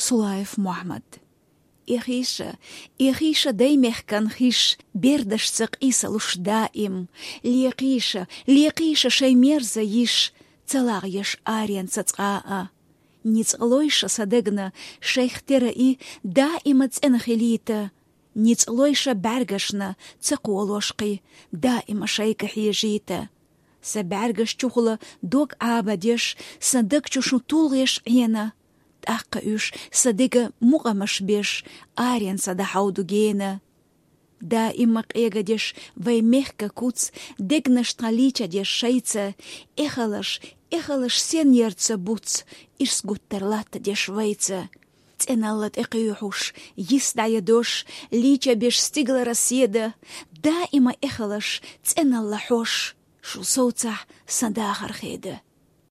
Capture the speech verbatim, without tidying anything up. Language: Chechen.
Сулаев Мухьмад. Эхийша, эхийша даймехкан хиш, бердашца къийсалуш даим. Лекхийша, лекхийша шай мерза йиш, ца лагъеш аренца цкъа а. Ницкъ лойша са дегна, шайх тера и даима цӀена хилийта. Ницкъ лойша бӀаргашна, ца кхолош кхы, даима шайга хьежийта. Са бӀаргаш чухула дог Ӏабадеш, са даг чу шу тулгӀеш Ӏена. ТӀаккха уьш са дега мукъамаш беш, аренца дӀахьовду гена. Даима къегадеш вай мехка куц, дегнаш тха лийчадеш шайца, эхалаш, эхалаш сен ярца буц, ирс гуттар латтадеш вайца. ЦӀеналла тӀекхуьйхьуш, йис дӀаядош, лийчабеш стиглара седа, даима эхалаш, цӀеналла хьош, шу совцахь сан дахар хеда.